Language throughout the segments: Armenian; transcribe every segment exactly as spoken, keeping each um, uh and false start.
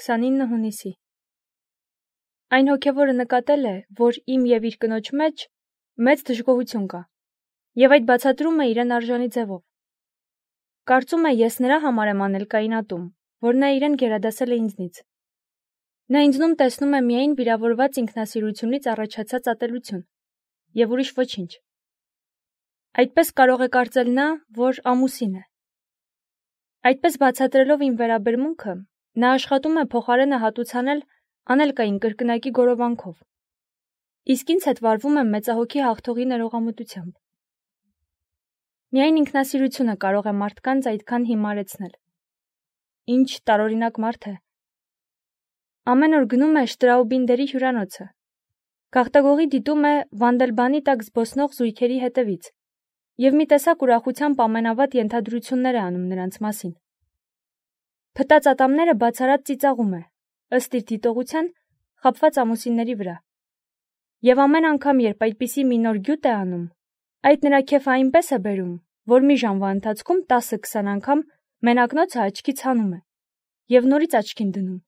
քսանինը հունիսի։ Այն հոգևորը նկատել է, որ իմ և իր կնոջ մեջ մեծ դժգոհություն կա, և այդ բացատրում է իրեն արժանի ձևով։ Կարծում է, ես նրա համար եմ անել կայունատում, որ նա իրեն գերադասել է ինձնից։ Նա ինձնում տեսնում է միայն վիրավորված ինքնասիրությունից առաջացած ատելություն, և ուրիշ ոչինչ։ Այդպես կարող է կարծել նա, որ ամուսին է։ Այդպես բացատրելով իմ վերաբերմունքը, նա աշխատում է փոխարենը հատուցանել անել կային կրկնակի գորովանքով, իսկ ինձ հետ վարվում է մեծահոգի հաղթողի ներողամտությամբ։ Միայն ինքնասիրությունը կարող է մարդկանց այդքան հիմարեցնել։ Ինչ տարօրինակ մարդ է։ Ամեն օր գնում է Շտրաուբինդերի հյուրանոցը։ Գաղտագողի դիտում է Վանդելբանի տակ զբոսնող զույգերի հետևից և մի տեսակ ուրախությամբ ամենավատ ենթադրություններ է անում նրանց մասին։ Փտած ատամները բացառած ծիծաղում է, ըստ իր դիտողության, խաբված ամուսինների վրա։ Եվ ամեն անգամ, երբ այդպիսի մի նոր գյուտ է անում, այդ նրա քեֆը այնպես է բերում, որ մի ժամվա ընթացքում տասը-քսան անգամ մենակնոցը աչքից հանում է և նորից աչքին դնում։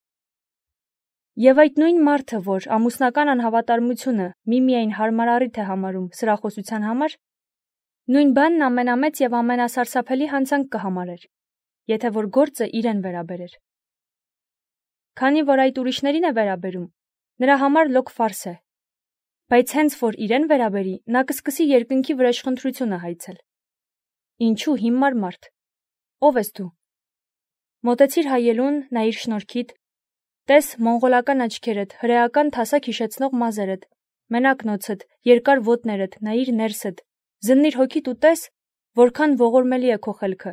Եվ այդ նույն մարդը, որ ամուսնական անհավատարմությունը միմիայն հարմար առիթ է համարում սրախոսության համար, նույն բանն ամենամեծ և ամենասարսափելի հանցանք կհամարեր, եթե որ գործը իրեն վերաբերեր։ Քանի որ այդ ուրիշներին է վերաբերում, նրա համար լոկ ֆարս է, բայց հենց որ իրեն վերաբերի, նա կսկսի երկնքի վրեժխնդրությունը հայցել։ Ինչու հիմար մարդ։ Ո՞վ ես դու։ Մոտեցիր հայելուն, նայիր շնորքիդ, տես մոնղոլական աչքերդ, հրեական թասակ հիշեցնող մազերդ, մենակնոցդ, երկար ոտներդ, նայիր ներսդ, զննիր հոգիդ ու տես, որքան ողորմելի է քո խելքը,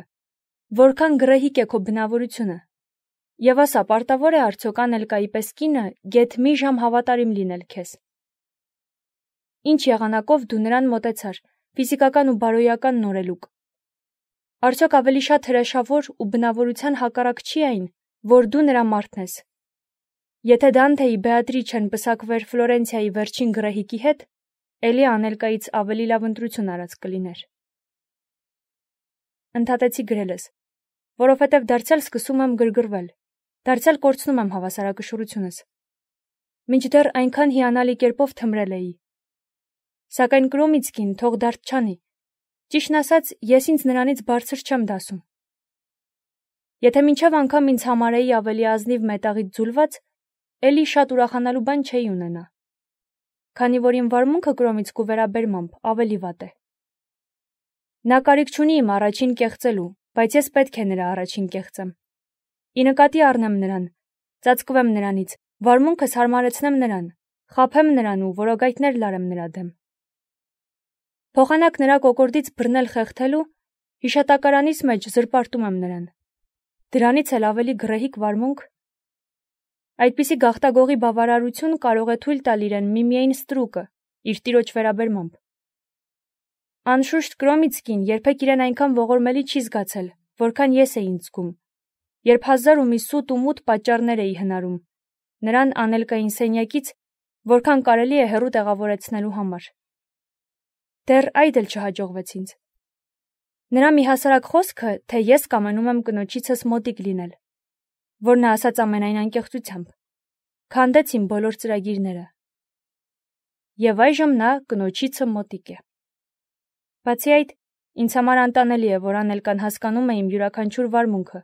որքան գռեհիկ է քո բնավորությունը։ Եվ ասա, պարտավոր է արդյոք անել կայի պես կինը գեթ մի ժամ հավատարիմ լինել քեզ։ Ինչ եղանակով դու նրան մոտեցար, ֆիզիկական ու բարոյական նորելուկ։ Արդյոք ավելի շատ հրեշավոր ու բնավորության հակառակ չի այն, որ դու նրա մարդն ես։ Եթե Դանթեի Բեատրիչեն պսակվեր Ֆլորենցիայի վերջին գռեհիկի հետ, էլի անելկայից ավելի լավ ընտրություն արած կլիներ։ Ընդհատեցի գրելս, որովհետև դարձյալ սկսում եմ գրգռվել, դարձյալ կորցնում եմ հավասարակշռությունս։ Մինչդեռ այնքան հիանալի կերպով թմրել էի։ Սակայն Կրոմիցկին թող դարդ չանի։ Ճիշտն ասած, ես ինձ նրանից բարձր չեմ դասում։ Եթե մինչև անգամ ինձ համարեի ավելի ազնիվ մետաղից ձուլված, էլի շատ ուրախանալու բան չէի ունենա։ Քանի որ իմ վարմունքը Կրոմիցկու վերաբերմամբ ավելի վատ է։ Նա կարիք չունի իմ առաջին կեղծելու, բայց ես պետք է նրա առաջին կեղծեմ։ Ի նկատի առնեմ նրան, ծածկվեմ նրանից, վարմունքս հարմարեցնեմ նրան, խաբեմ նրան ու որոգայթներ լարեմ նրա դեմ։ Փոխանակ նրա կոկորդից բռնել խեղդելու, հիշատակարանիս մեջ զրպարտում եմ նրան։ Դրանից էլ ավելի գռեհիկ վարմունք։ Այդպիսի գաղտագողի բավարարություն կարող է թույլ տալ իրեն միմիայն ստրուկը, իր տիրոջ վերաբերմամբ։ Անշուշտ Կրոմիցկին երբեք իրեն այնքան ողորմելի չի զգացել, որքան ես էի ինձ զգում, երբ հազար ու մի սուտ ու մութ պատճառներ էի հնարում, նրան անելկային սենյակից, որքան կարելի է հեռու տեղավորեցնելու համար։ Դեռ այդ էլ չհաջողվեց ինձ։ Նրա մի հասարակ խոսքը, թե ես կամենում եմ կնոջիցս մոտիկ լինել, որ նա ասաց ամենայն անկեղծությամբ, քանդեց իմ բոլոր ծրագիրները։ Եվ այժմ նա կնոջիցը մոտիկ է։ Բացի այդ, ինձ համար անտանելի է, որ անելկան հասկանում է իմ յուրաքանչյուր վարմունքը,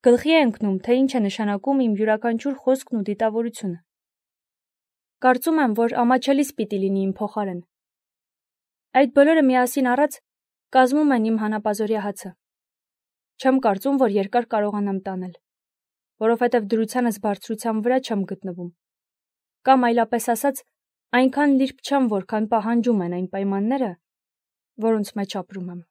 գլխի է ընկնում, թե ինչ է նշանակում իմ յուրաքանչյուր խոսքն ու դիտավորությունը։ Կարծում եմ, որ ամաչելիս պիտի լինի իմ փոխարեն։ Այդ բոլորը միասին առած կազմում են իմ հանապազօրյա հացը։ Չեմ կարծում, որ երկար կարողանամ տանել, որովհետև դրությանս բարձրության վրա չեմ գտնվում, կամ այլապես ասած, այնքան լիրբ չեմ, որքան պահանջում են այն պայմանները, որոնց մեջ ապրում եմ։